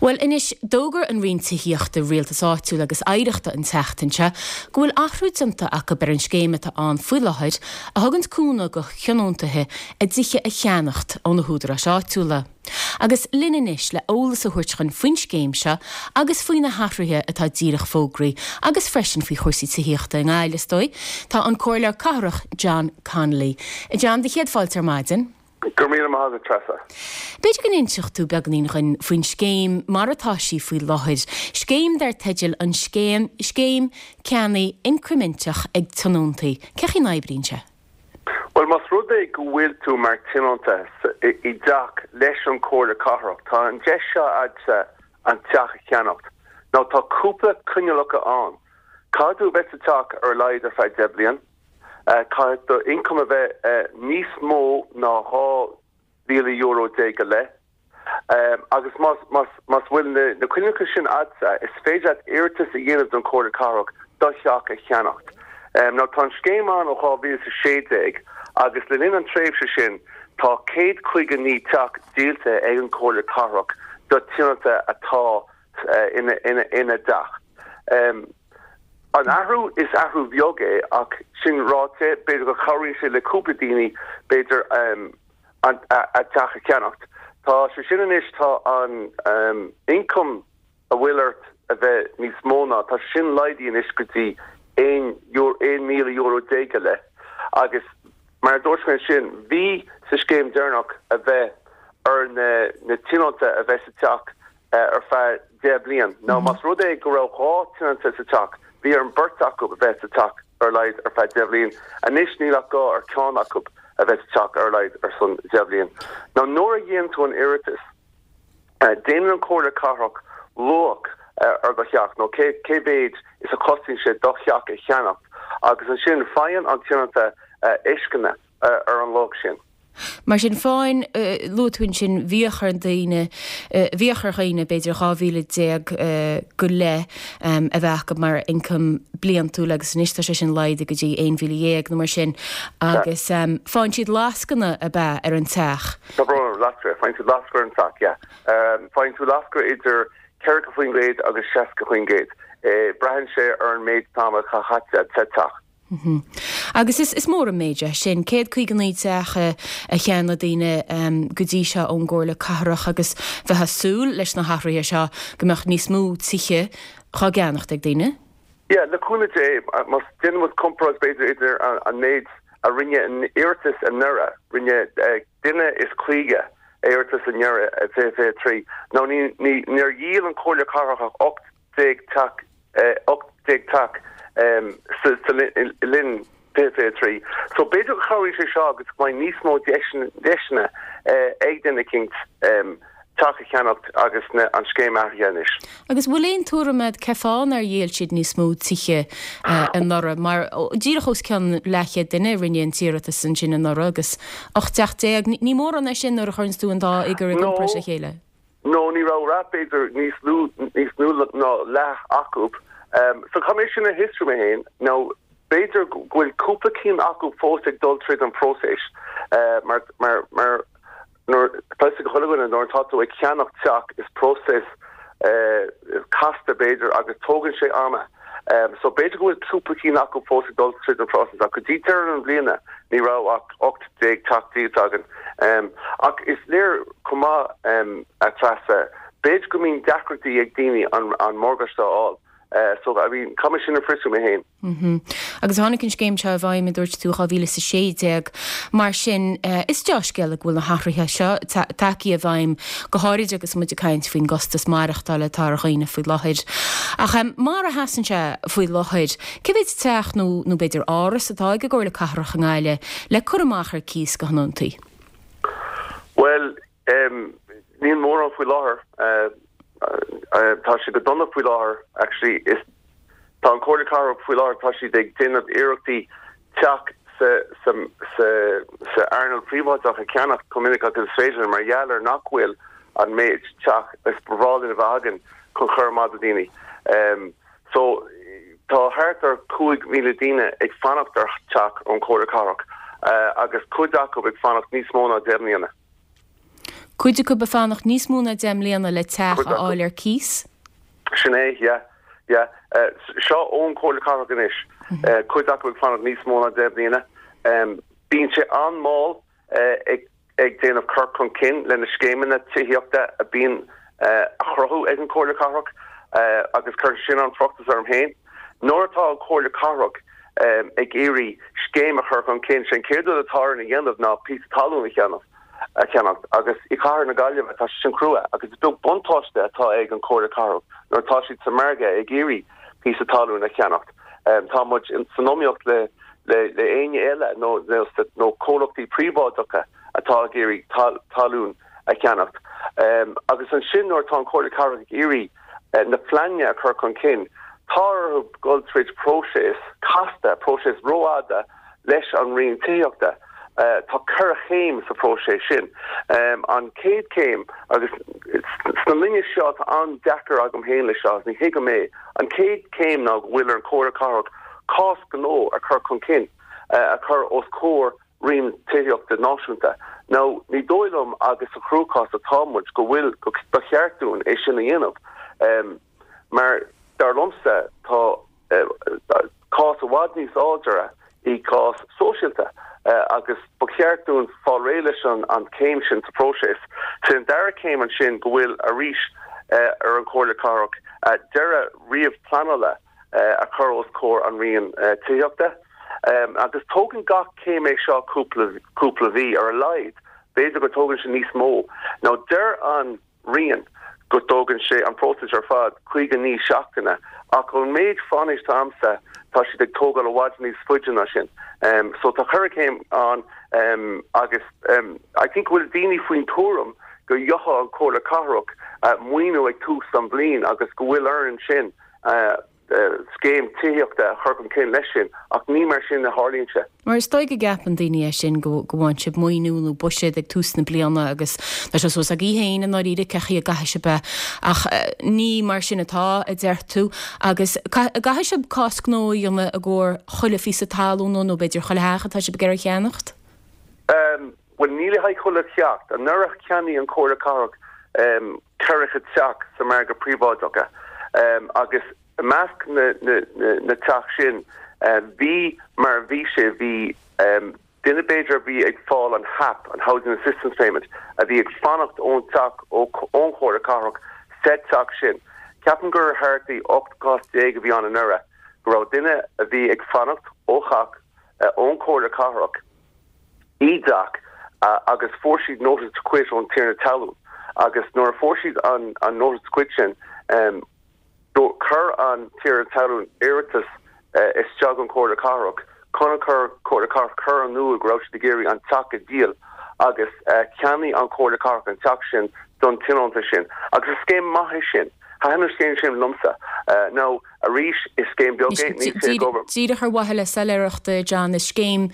Bhuel anois, d'fhógair an Roinn Tithíochta, Rialtais Áitiúil agus Oidhreachta an tseachtain seo go bhfuil athrú déanta acu ar an scéim atá ann faoi láthair a thuganns cúnamh go thionóntaithe a dtithe a cheannacht ó na húdaráis áitiúla. Agus linn anois le eolas a thabhairt dhuinn faoin scéim seo agus faoi na hathruithe atá díreach fógraithe agus freisin faoi chúrsaí tithíochta i nGaillimh, is dóigh, tá an Comhairleoir Cathrach John Connolly. A John, do chéad fáilte ar maidin. Go raibh míle maith agat, Treasa. B'fhéidir go n-inseodh tú beagáinín dhuinn faoin scéim mar atá sí faoi láthair, scéim dar teideal an Scéim Scéim Ceannaigh Incriminteach ag Tionóntaí. Cén chaoi a n-oibríonn sé? Bhuel, más rud é go bhfuil tú mar tionónta i dteach leis an Chomhairle Cathrach, tá an deis seo agatsa an teach a cheannacht. Now tá cúpla coinníollacha ann. Caithfidh tú a bheith sa teach ar a laghad ar feadh 10 bliain. Caithfidh do ioncam a bheith níos mó ná €12,000 go leith. Agus más bhfuil na coinníollacha sin agatsa, is féidir leat iarratas a dhéanamh don Chomhairle Cathrach do theach a cheannacht. Now tá an scéim ann ó 2016 agus le linn an tréimhse sin tá 159 teach díolta ag an Chomhairle Cathrach do tionóntaithe atá ina dteach. An athrú, is athrú bheag é ach sin ráite, b'fhéidir go chabhraíonn sé le cúpla daoine b'fhéidir a dteach a cheannacht. Tá sé sin anois, tá an ioncam a bhfuil ort a bheith níos mó ná, tá sé sin laghdaithe anois go dtí €11,000 go leith agus mar a dúirt mé ansin, bhí sa scéim deireanach a bheith ar na tionónta a bheith sa teach ar feadh 10 bliain. Now más rud é go raibh 2 tionónta sa teach, bhí ar an beirt acu a bheith sa teach ar a laghad ar feadh 10 bhliain. Anois níl ach gá ar ceann acu a bheith sa teach ar a laghad ar son 10 bhliain. Now nuair a dhéanann tú an iarratas, déanann an Comhairle Cathrach luach ar do theach nó cé cé mhéid is a chostaíonn sé do theach a cheannacht agus ansin faigheann an tionónta lascaine ar an luach sin. Mar sin féin, luaigh tú ansin, bhíodh ar daoine, bhíodh ar dhaoine b'fhéidir 12,000 go leith a bheith acu mar ioncam bliantúil agus anois tá sé sin laghdaithe go dtí 11,000 nó mar sin agus faigheann siad lascaine ab ea ar an teach. Tá brón orm, lascaine, faigheann siad lascaine ar an teach, yeah. Faigheann tú lascaine idir 40% agus 60%. Braitheann sé ar an méid ama atá caite sa teach. Agus is mór an méid é sin, 159 teach a cheannaigh daoine go dtí seo ón gComhairle Cathrach agus bheifeá ag súil leis na hathruithe seo go mbeadh níos mó tithe dhá gceannacht ag daoine. Yeah, le cúnamh Dé, má déanann muid comparáid b'fhéidir idir an méid a rinne an iarratas anuraidh, rinne duine is 50 iarratas anuraidh i 2023, nó níor dhíol an Chomhairle Cathrach ach 18 teach 18 teach sa linn 2023. So b'fhéidir go chabhraíonn sé seo agus go mbeidh níos mó deiseanna ag duine eicínt teach a cheannacht agus an scéim athraithe anois. Agus bhfuil aon tuairim agat cén fáth nár dhíol siad níos mó tithe anuraidh? Mar díreach os cionn leathchéad duine a rinne an t-iarratas ansin anuraidh agus 18 teach. Ní mórán é sin nuair a chuireanns tú an dá fhigiúr i gcomparáid le chéile. No, ní raibh ach b'fhéidir níos lú, níos lú ná leath acu. So caithfidh mé sin a fhiosrú mé féin. Now, b'fhéidir go bhfuil cúpla cinn acu fós ag dul tríd an phróiseas mar, mar, mar nuair, tá fhios ag chuile dhuine nuair atá tú ag ceannach teach is próiseas casta b'fhéidir agus tógann sé ama. So b'fhéidir go bhfuil cúpla cinn acu fós ag dul tríd an phróiseas ach go dtí deireadh na bliana ní raibh ach 18 teach díolta againn. Ach is léir chomh maith, a Treasa, b'fhéidir go mbíonn deacrachtaí ag daoine an morgáiste a fháil. So I mean caithfidh mé sin a fhiosrú mé féin. Agus tháinig an scéim seo i bhfeidhm, a dúirt tú, 2016. Mar sin, is deá-scéala go bhfuil na hathruithe seo tagtha i bhfeidhm, go háirid agus muid ag caint faoin gcostas maireachtála atá ar dhaoine faoi láthair. Ach mar a sheasann sé faoi láthair, cé mhéid teach nó nó b'fhéidir áras atá ag an gComhairle Cathrach i nGaillimh le cur amach ar cíos go thionóntaí? Bhuel, níl mórán faoi láthair. Tá sé go dona faoi láthair actually. Is tá an Comhairle Cathrach faoi láthair, tá siad ag déanamh iarrachtaí teach sa sa sa sa earnáil phríobháideach a cheannach chomh minic agus is féidir mar gheall ar nach bhfuil an méid teach is ba bhreá linn a bheith againn chun cur amach do daoine. So tá thart ar 5,000 daoine ag fanacht ar teach ón Chomhairle Cathrach agus cuid acu ag fanacht níos mó ná 10 mbliana. Cuid acu ag fanacht níos mó ná 10 mbliana le teach a fháil ar cíos. Sin é, yeah, yeah. Seo ón Chomhairle Cathrach anois. Cuid acu ag fanacht níos mó ná 10 mbliana. Bíonn sé an-mhall ag ag déanamh cur chun cinn le na scéimeanna tithíochta a bíonn a chruthú ag an Chomhairle Cathrach agus cuireann sin an-fhruchtas orm féin. Nuair atá an Chomhairle Cathrach ag iarraidh scéim a chur chun cinn, sé an chéad rud atá orainn a dhéanamh ná píosa talún a cheannach a cheannacht agus i gCathair na Gaillimhe tá sé sin crua agus is beag buntáiste atá ag an Chomhairle Cathrach nuair atá siad sa margadh ag iarraidh píosa talún a cheannacht. Tá muid san iomaíocht le le éinne eile nó nó comhlachtaí príobháideacha atá ag iarraidh talún a cheannacht. Agus ansin nuair atá an Chomhairle Cathrach ag iarraidh na pleananna a chur chun cinn, tá orthu dul tríd próiseas casta, próiseas rófhada leis an Roinn Tithíochta. Tá ceithre chéim sa phróiseas sin. An chéad chéim, agus sna linne seo tá an-deacair agam féin leis seo, ní thuigim é, an chéad chéim ná go bhfuil ar an Chomhairle Cathrach cás gnó a chur chun cinn, a chur os comhair Roinn Tithíochta Náisiúnta. Now, ní dóigh liom agus sa chruachás atá muid go bhfuil, go, ba cheart dúinn é sin a dhéanamh. Mar, dar liomsa, tá cás i bhfad níos láidre i gcás sóisialta agus ba cheart dúinn fáil réidh leis an chéim sin sa phróiseas. Sé an dara céim ansin go bhfuil arís ar an Chomhairle Cathrach deireadh ríomh-pleanála a chur os comhair an Roinn Tithíochta. Agus tógann gach céim é seo cúpla cúpla mhí ar a laghad, b'fhéidir go dtógann sé níos mó. Now deir an Roinn go dtógann sé an próiseas ar fad 59 seachtaine ach ón méid faisnéis atá agamsa tá siad ag tógáil i bhfad níos faide ná sin. So tá ceithre chéim ann agus I think go bhfuil daoine faoin tuairim go gheobhaidh an Chomhairle Cathrach maoiniú ag tús an bhliain agus go bhfuil orainn sin scéim tithíochta a chur chun cinn leis sin, ach ní mar sin a tharlaíonn sé. Mar is dóigh go gceapann daoine é sin, go bhfaigheann sibh maoiniú nó buiséad ag tús na bliana agus tá sé suas agaibh féin i ndáiríre cén chaoi a gcaithfidh sibh é. Ach ní mar sin atá, a deir tú. Agus caithfidh sibh cás gnó a dhéanamh i gcomhair chuile phíosa talún nó b'fhéidir chuile theach atá sibh ag iarraidh a cheannacht? Bhuel, ní le haghaidh chuile theach. Anuraidh cheannaigh an Chomhairle Cathrach 40 teach sa margadh príobháideach agus i measc na teach sin bhí, mar a bhí sé, bhí duine b'fhéidir a bhí ag fáil an HAP, an Housing Assistance Payment, a bhí ag fanacht ón teach ón Chomhairle Cathrach sa teach sin. Ceapaim gur thart i 18 gcás a bhí ann anuraidh go raibh duine a bhí ag fanacht ó theach ón Chomhairle Cathrach, i dteach agus fuair siad notice to quit ón tiarna talún agus nuair a fuair siad an notice to quit sin do chuir an tiarna talún iarratas isteach an Chomhairle Cathrach chun an Chomhairle Cathrach cur in iúl go raibh siad ag iarraidh an teach a dhíol agus cheannaigh an Chomhairle Cathrach an teach sin don tionónta sin agus is scéim maith é sin. Thaitin an scéim sin liomsa. Now, arís, is scéim beag é, níl sé ag obair. Díreach ar mhaithe le soiléireacht, John, is scéim,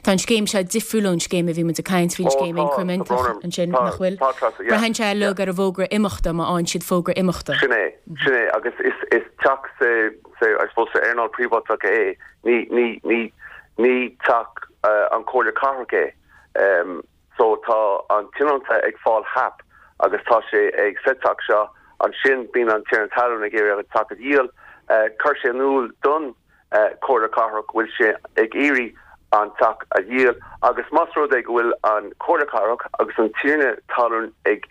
tá an scéim seo difriúil ón scéim a bhí muid ag caint faoin scéim incriminteach ansin, nach bhfuil? Tá, Treasa, yeah. Braitheann sé uilig ar an bhfógra imeachta, má fhaigheann siad fógra imeachta. Sin é, sin é, agus is, is teach sa, sa, I suppose, sa earnáil príobháideach é, ní, ní, ní, ní teach an Chomhairle Cathrach é. So tá an tionónta ag fáil HAP agus tá sé ag sa teach seo, ansin bíonn an tiarna talún ag iarraidh an teach a dhíol. Chuir sé in iúl don Chomhairle Cathrach go bhfuil sé ag iarraidh an teach a dhíol agus más rud é go bhfuil an Chomhairle Cathrach agus an tiarna talún ag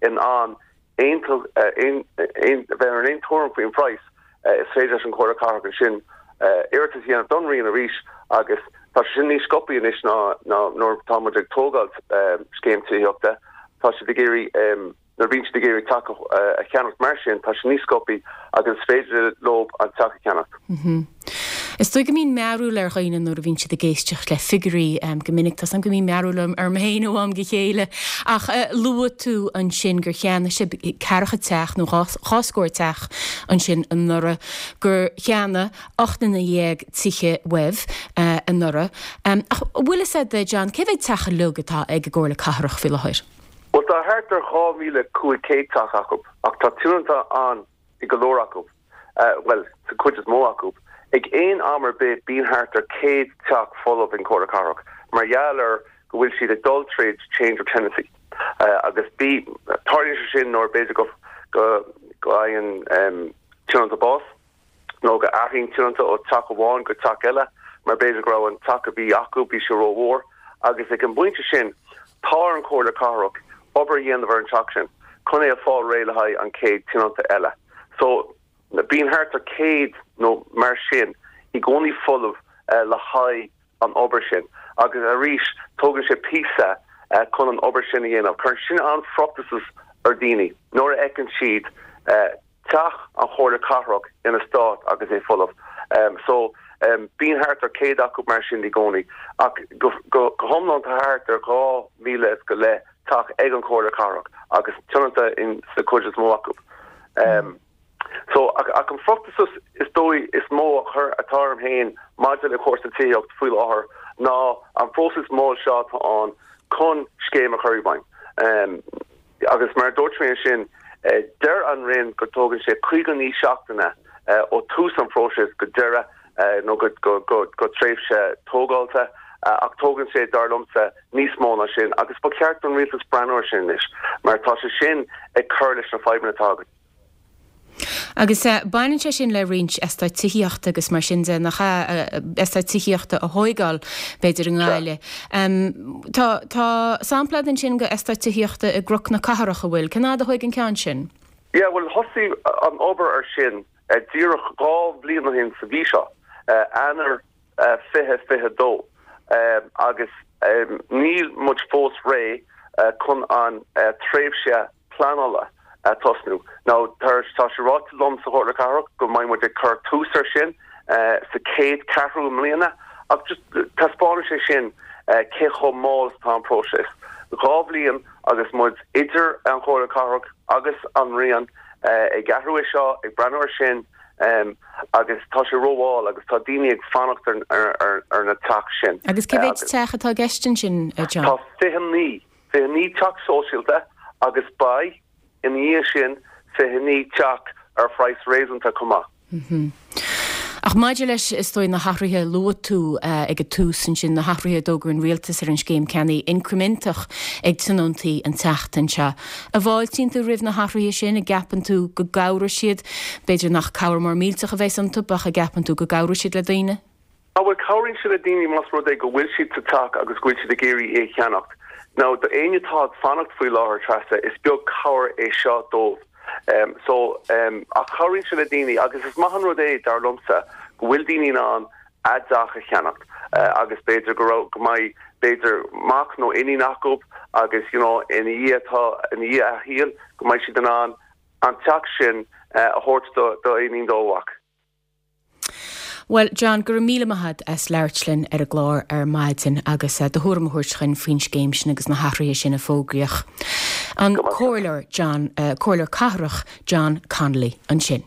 in ann aontú, bheith ar an aon tuairim faoin phraghas, is féidir leis an Chomhairle Cathrach ansin iarratas a dhéanamh don Roinn arís agus tá sé sin níos sciobthaí anois ná nuair atá muid ag tógáil scéim tithíochta. Tá siad ag iarraidh, nuair a bhíonn siad ag iarraidh teach a cheannacht mar sin, tá sé níos sciobthaí agus is féidir leo an teach a cheannacht. Is dóigh go mbíonn mearúil ar dhaoine nuair a bhíonn siad ag éisteacht le figiúirí go minic. Tá 's agam go mbíonn mearúil orm féin ó am go chéile. Ach luaigh tú ansin gur cheannaigh sibh ceathracha teach nó dhá scór teach ansin anuraidh, gur cheannaigh 18 nduine tithe uaibh anuraidh. Ach an bhfuil fhios agat, John, cé mhéad teach uilig atá ag an gComhairle Cathrach faoi láthair? Bhuel, tá thart ar 2,500 teach acu ach tá tionónta ann i go leor acu, bhuel, sa chuid is mó acu. Ag aon am ar bith bíonn thart ar 100 teach folamh ag an Chomhairle Cathrach mar gheall ar go bhfuil siad ag dul tríd change of tenancy. Agus bí, tarlaíonn sé sin nuair b'fhéidir go go bhfaigheann tionónta bás nó go athraíonn tionónta ó teach amháin go teach eile mar b'fhéidir go raibh an teach a bhí acu, bhí sé rómhór agus ag an bpointe sin tá ar an Chomhairle Cathrach obair a dhéanamh ar an teach sin chun é a fáil réidh le haghaidh an chéad tionónta eile. So bíonn thart ar 100 nó mar sin i gcónaí folamh le haghaidh an obair sin agus arís tógann sé píosa chun an obair sin a dhéanamh. Cuireann sin an-fhruchtasas ar daoine nuair a fheiceann siad teach an Chomhairle Cathrach ina stát agus é folamh. So bíonn thart ar 100 acu mar sin i gcónaí ach go hiomlán tá thart ar 2,000 is go leith teach ag an Chomhairle Cathrach agus tionónta in sa chuid is mó acu. So, ach, ach an fruchtasas is dóigh is mó a chur atá orm féin maidir le cúrsaí tithíocht faoi láthair ná an próiseas mall seo atá ann chun scéim a chur i bhfeidhm. Agus mar a dúirt mé ansin, deir an Roinn go dtógann sé 59 seachtaine ó tús an phróisis go deireadh nó go, go, go, go tréimhse tógáilte, ach tógann sé, dar liomsa, níos mó ná sin agus ba cheart don rialtas breathnú ar sin anois mar tá sé sin ag cur leis na fadhbanna atá againn. Agus baineann sé sin le roinnt eastáit tithíochta agus mar sin de, nach ea, eastáit tithíochta a thóigeáil, b'fhéidir, i nGaillimh. Tá, tá sampla agat ansin de eastát tithíochta i gCnoc na Cathrach, an bhfuil? Cén fhad a thóig an ceann sin? Yeah, bhuel, thosaigh an obair ar sin díreach 2 bhliain ó shin sa mhí seo, Eanáir 2022, agus níl muid fós réidh chun an tréimhse pleanála a tosnú. Now tá sé ráite liom sa Chomhairle Cathrach go mbeidh muid ag cur tús ar sin sa chéad ceathrú i mbliana ach just taispeánann sé sin cé chomh mall is atá an próiseas. 2 bhliain agus muid idir an Chomhairle Cathrach agus an Roinn ag athrú é seo, ag breathnú ar sin agus tá sé rómhall agus tá daoine ag fanacht ar na teach sin. Agus cé mhéid teach atá i gceist ansin, John? Tá 29. 29 teach sóisialta agus beidh, ina dhiaidh sin, 29 teach ar phraghas réasúnta chomh maith. Ach maidir leis, is dóigh, na hathruithe a luaigh tú ag an tús ansin, na hathruithe a d'fhógair an rialtas ar an scéim ceannaigh incriminteach ag tionóntaí an tseachtain seo, an bhfáiltíonn tú roimh na hathruithe sin? An gceapann tú go gcabhróidh siad? B'fhéidir nach cabhair mór millteach a bheas iontu ach an gceapann tú go gcabhróidh siad le daoine? Á bhuel, cabhraíonn sé le daoine más rud é go bhfuil siad sa teach agus go bhfuil siad ag iarraidh é a cheannacht. Now, do éinne atá ag fanacht faoi láthair, Treasa, is beag cabhair é seo dóibh. So, ach cabhraíonn sé le daoine agus is maith an rud é, dar liomsa, go bhfuil daoine in ann a dteach a cheannacht agus b'fhéidir go raibh, go mbeidh, b'fhéidir, mac nó iníon acu agus, you know, ina dhiaidh atá, ina dhiaidh a shaoil, go mbeidh siad in ann an teach sin a thabhairt do, do iníon nó do mhac. Bhuel, John, go raibh míle maith agat as labhairt linn ar an gclár ar maidin agus do thuairim a thabhairt chugainn faoin scéim sin agus na hathruithe sin a fógraíodh. An Comhairleoir John, Comhairleoir Cathrach John Connolly ansin.